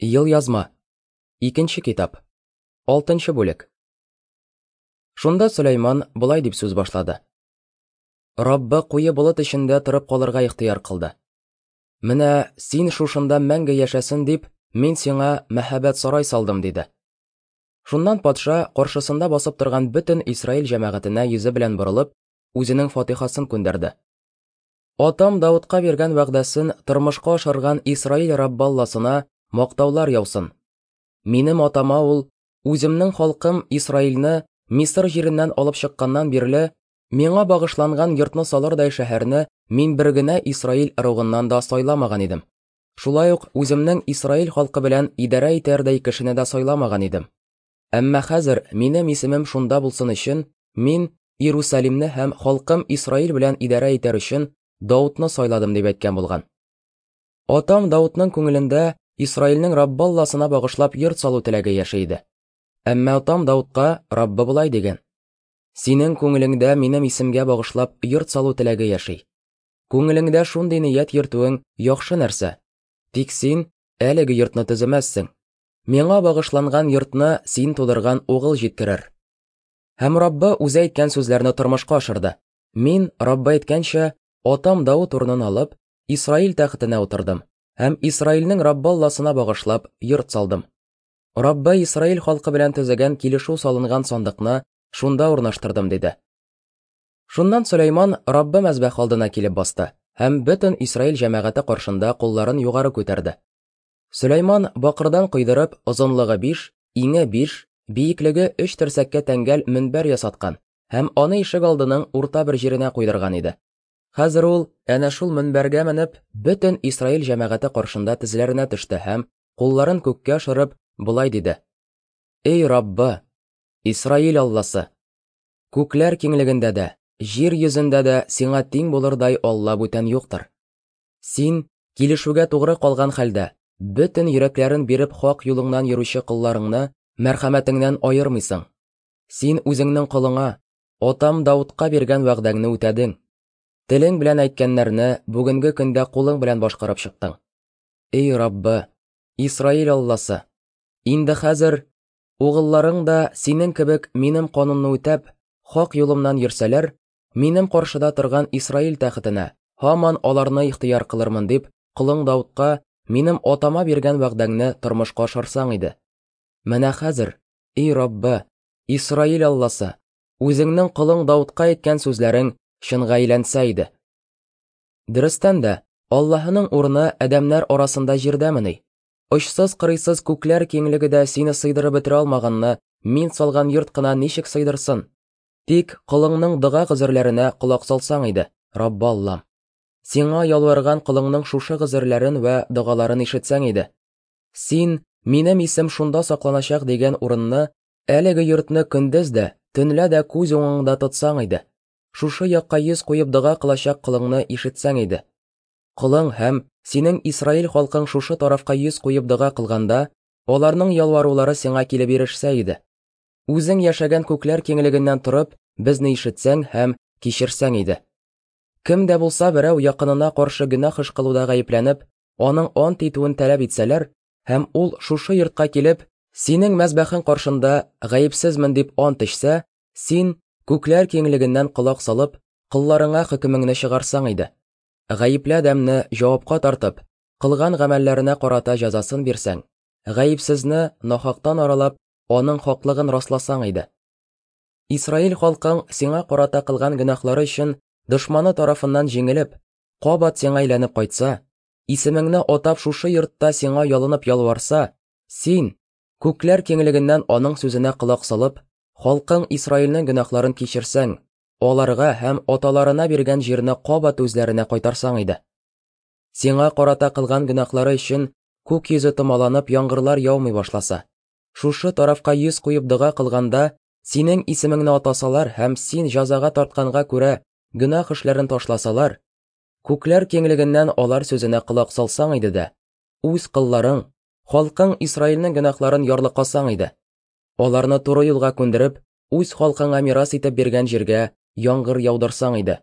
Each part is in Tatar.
Елъязма. Икенче китап. Алтынчы бүлек. Шунда Сөләйман болай дип сүз башлады. Раббы куе болыт эчендә торып калырга ихтыяр кылды. Менә син шушында мәңге яшәсен дип, мин сиңа мәһабәт сарай салдым, диде. Шуннан патша, каршысында басып торган бөтен Исраил җәмәгатенә йөзе белән борылып, үзенең фатихасын күндерде. Атам Давытка биргән вәгъдәсен тормышка ашырган Исраил Раббы Алласына мактаулар яусын. Минем атама ул, үземнең халкым Исраилне Мисыр җиреннән алып чыкканнан бирле, миңа багышланган йортны салырдай шәһәрне мин бер генә Исраил ыругыннан да сайламаган идем. Шулай ук үземнең Исраил халкы белән идарә итәрдәй кешене дә сайламаган идем. Әмма хәзер минем исемем шунда булсын өчен, мин Иерусалимны һәм халкым Исраил белән идарә итәр өчен Даутны сайладым дип әйткән булган. Атам Даутның күңелендә Исраилнең Раббы Алласына багышлап йорт салу теләге яши иде. Әмма атам Даутка Раббы болай дигән: Синең күңелеңдә минем исемгә багышлап йорт салу теләге яши. Күңелеңдә шундый ният йөртүең яхшы нәрсә. Тик син әлеге йортны төземәссең. Миңа багышланган йортны син тудырган угыл җиткерер. Һәм Раббы үзе әйткән сүзләрне тормышка ашырды. Мин, Раббы әйткәнчә, атам Давыт урынын алып, Исраил тәхетенә утырдым һәм Исраилнең Раббы Алласына багышлап йорт салдым. Раббы Исраил халкы белән төзегән килешү салынган сандыкны шунда урнаштырдым, диде. Шуннан Сөләйман Раббы мәзбәх алдына килеп басты һәм бөтен Исраил җәмәгате каршында кулларын югары күтәрде. Сөләйман бакырдан койдырып, озынлыгы 5, иңе 5, биеклеге 3 терсәккә тәңгәл мөнбәр ясаткан һәм аны ишек алдының урта бер җиренә куйдырган иде. Хәзер ул әнә шул мөнбәргә менеп, бөтен Исраил җәмәгате каршында тезләренә төште һәм кулларын күккә ашырып, болай диде: Эй Раббы, Исраил Алласы, күкләр киңлегендә дә, җир йөзендә дә сиңа тиң булырдай Алла бүтән юктыр. Син, килешүгә тугры калган хәлдә, бөтен йөрәкләрен биреп хак юлыңнан йөрүче колларыңны мәрхәмәтеңнән аермыйсың. Син үзеңнең колыңа, атам Даутка биргән вәгъдәңне үтәдең. Телең белән әйткәннәрне бүгенге көндә кулың белән башкарып чыктың. Эй Раббы, Исраил Алласы, инде хәзер угылларың да синең кебек минем канунны үтәп, хак юлымнан йөрсәләр, минем каршыда торган Исраил тәхетенә һаман аларны ихтыяр кылырмын дип, колың Даутка минем атама биргән вәгъдәңне тормышка ашырсаң иде. Менә хәзер, эй Раббы, Исраил Алласы, үзеңнең колың Даутка әйткән сүзләрең чынга әйләнсә иде. Дөрестән дә, Аллаһының урыны адәмнәр арасында җирдәмени? Очсыз-кырыйсыз күкләр киңлеге дә сине сыйдырып бетерә алмаганны мин салган йорт кына ничек сыйдырсын? Тик колыңның дога гозерләренә колак салсаң иде, Раббы Аллам. Сиңа ялварган колыңның шушы гозерләрен вә догаларын ишетсәң иде. Син, минем исем шунда сакланачак дигән урынны, әлеге йортны көндез дә, төнлә дә күз уңыңда тотсаң иде. Шушы якка йөз куеп дога кылачак колыңны ишетсәң иде. Колың һәм синең Исраил халкың шушы тарафка йөз куеп дога кылганда, аларның ялварулары сиңа килеп ирешсә иде. Үзең яшәгән күкләр киңлегеннән торып, безне ишетсәң һәм кичерсәң иде. Кем дә булса берәү якынына каршы гөнаһ эш кылуда гаепләнеп, аның ант итүен таләп итсәләр, һәм ул шушы йортка килеп, синең мәзбәхең каршында гаепсезмен дип ант эчсә, син, күкләр киңлегеннән колак салып, колларыңа хөкемеңне чыгарсаң иде. Гаепле адәмне җавапка тартып, кылган гамәлләренә карата җәзасын бирсәң, гаепсезне нахактан аралап, аның хаклыгын расласаң иде. Исраил халкың сиңа карата кылган гөнаһлары өчен дошманы тарафыннан җиңелеп, кабат сиңа әйләнеп кайтса, исемеңне атап шушы йортта сиңа ялынып ялварса, син, күкләр киңлегеннән аның сүзенә колак салып, халкың Исраилнең гөнаһларын кичерсәң, аларга һәм аталарына биргән җирне кабат үзләренә кайтарсаң иде. Сиңа карата кылган гөнаһлары өчен күк йөзе томаланып яңгырлар яумый башласа, шушы тарафка йөз куеп дога кылганда, синең исемеңне атасалар һәм син җәзага тартканга күрә гөнаһ эшләрен ташласалар, күкләр киңлегеннән алар сүзенә колак салсаң иде дә, үз кылларың, халкың Исраилнең гөнаһларын ярлыкасаң иде. Аларны туры юлга күндереп, үз халкыңа мирас итеп биргән җиргә яңгыр яудырсаң иде.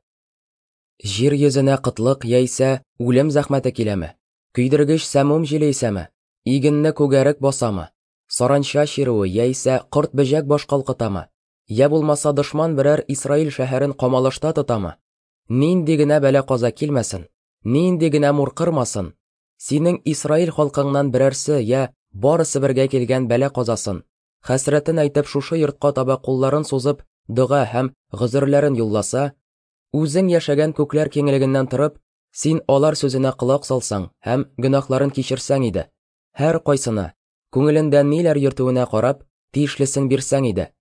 Җир йөзенә кытлык яисә үлем зәхмәте киләме? Көйдергеч сәмум җиле исәме? Игенне күгәрек басамы, саранча чирүе яисә корт-бөҗәк баш калкытамы, я булмаса дошман берәр Исраил шәһәрен камалышта тотамы, нинди генә бәла-каза килмәсен, нинди генә мур кырмасын, синең Исраил халкыңнан берәрсе я барысы бергә килгән бәла-казасын, хәсрәтен әйтеп шушы йортка таба кулларын сузып дога һәм гозерләрен юлласа, үзең яшәгән күкләр киңлегеннән торып, син алар сүзенә колак салсаң һәм гөнаһларын кичерсәң иде, һәркайсына, күңелендә ниләр йөртүенә карап, тиешлесен бирсәң иде.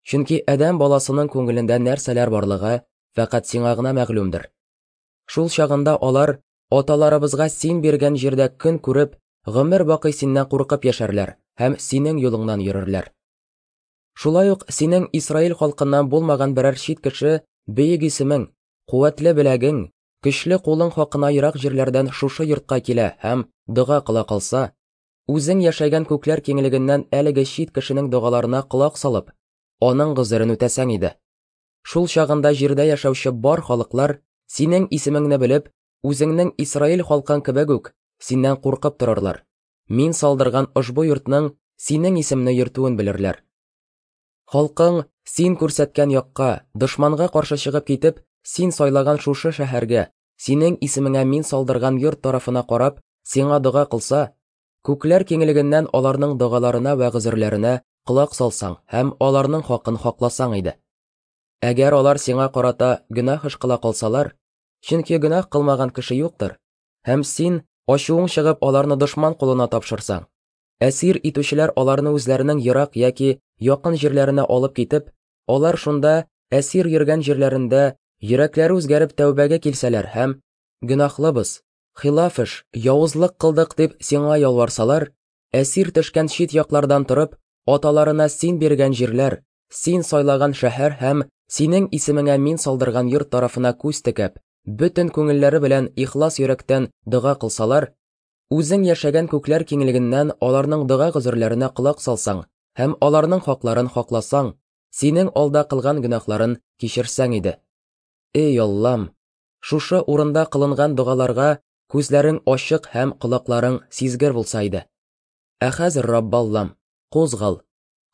Чөнки адәм баласының күңелендә нәрсәләр барлыгы фәкать сиңа гына мәгълүмдер. Шул чагында алар аталарыбызга син биргән җирдә көн күреп, гомер бакый синнән куркып яшәрләр һәм синең юлыңнан йөрерләр. Шулай ук синең Исраил халкыннан булмаган берәр чит кеше бөек исемең, куәтле беләгең, көчле кулың хакына ерак җирләрдән шушы йортка килә һәм дога кыла калса, үзең яшәгән күкләр киңлегеннән әлеге чит кешенең догаларына колак салып, аның гозерен үтәсәң иде. Шул чагында җирдә яшәүче бар халыклар синең исемеңне белеп, үзеңнең Исраил халкың кебек үк, синнән куркып торырлар. Мин салдырган ошбу йортның синең исемне йөртүен белерләр. Халкың син күрсәткән якка, дошманга каршы чыгып китеп, син сайлаган шушы шәһәргә, синең исемеңә мин салдырган йорт тарафына карап, сиңа дога кылса, күкләр киңлегеннән аларның догаларына вә гозерләренә колак салсаң һәм аларның хакын хакласаң иде. Әгәр алар сиңа карата гөнаһ эш кыла калсалар, чөнки гөнаһ кылмаган кеше юктыр, һәм син ачуың чыгып аларны дошман кулына тапшырсаң, әсир итүчеләр аларны үзләренең ерак яки якын җирләренә алып китеп, алар шунда әсир йөргән җирләрендә йөрәкләре үзгәреп тәүбәгә килсәләр һәм гөнаһлыбыз, хилаф эш, явызлык кылдык дип сиңа ялварсалар, әсир төшкән чит яклардан торып, аталарына син биргән җирләр, син сайлаган шәһәр һәм синең исемеңә мин салдырган йорт тарафына күз текәп, бөтен күңелләре белән ихлас йөрәктән дога кылсалар, үзең яшәгән күкләр киңлегеннән аларның дога гозерләренә колак салсаң һәм аларның хакларын хакласаң, синең алда кылган гөнаһларын кичерсәң иде. Эй Аллам, шушы урында кылынган догаларга күзләрең ачык һәм колакларың сизгер булса иде. Ә хәзер, Раббаллам, кузгал,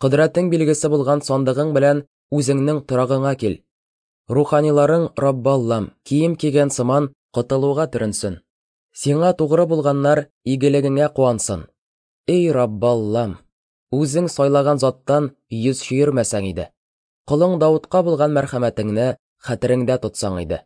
кодрәтең билгесе булган сандыгың белән үзеңнең торагыңа кил. Руханиларың, Раббаллам, кием кигән сыман котылуга төренсен. Сиңа тугры булганнар игелегеңә куансын. Эй, Раббаллам, үзең сайлаган заттан йөз чөермәсәң иде. Колың Давытка булган мәрхәмәтеңне хәтереңдә тотсаң иде.